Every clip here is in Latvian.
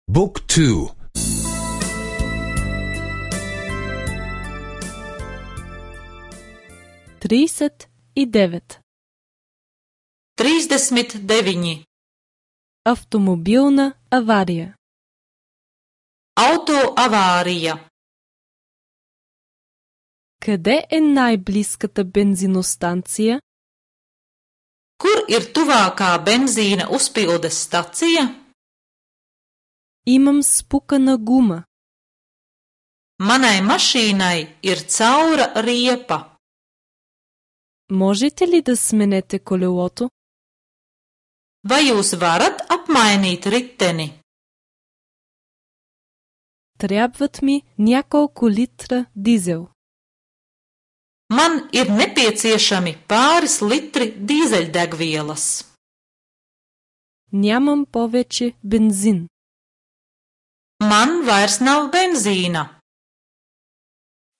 Book 2. 39. 39. Автомобилна авария. Auto avārija. Къде е най-близката бензиностанция? Kur ir tuvākā benzīna uzpildes stacija? Имам спукана гума. Manai mašīnai ir caura riepa. Можете ли да сменете колелото? Vai jūs varat apmainīt riteni? Трябват ми няколко литра дизел. Man ir nepieciešami pāris litri dīzeļdegvielas. Нямам повече бензин. Man vairs nav benzīna.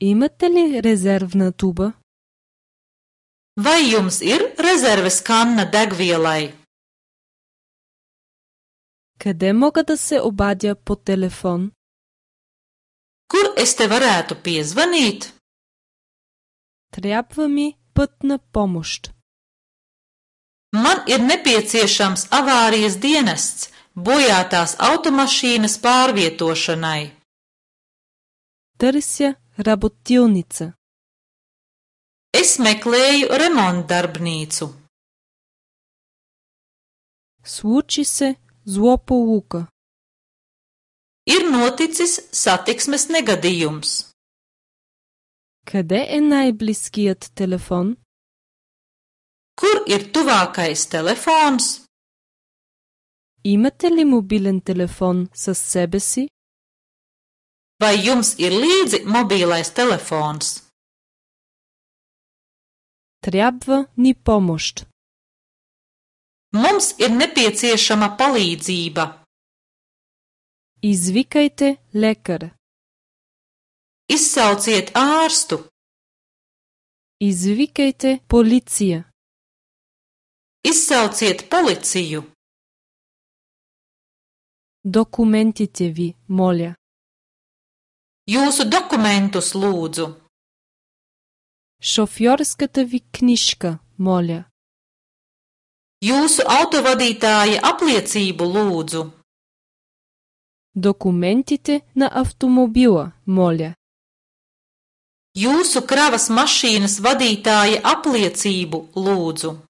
Имате ли резервна туба? Vai jums ir rezerves kanna degvielai? Къде мога да се обадя по телефон? Kur es te varētu piezvanīt? Трябва ми пътна помощ. Man ir nepieciešams avārijas dienests bojātās automašīnas pārvietošanai. Търся работилница. Es meklēju remontdarbnīcu. Случи се злополука. Ir noticis satiksmes negadījums. Къде е най-близкият телефон? Kur ir tuvākais telefons? Имате ли мобилен телефон със себе си? Vai jums ir līdzi mobīlais telefons? Трябва ни помощ. Mums ir nepieciešama palīdzība. Извикайте лекар. Izsauciet ārstu. Извикайте полиция. Izsauciet policiju. Документите ви, моля. Jūsu dokumentus lūdzu. Шофьорската ви книжка, моля. Jūsu autovadītāja apliecību lūdzu. Документите на автомобила, моля. Jūsu kravas mašīnas vadītāja apliecību lūdzu.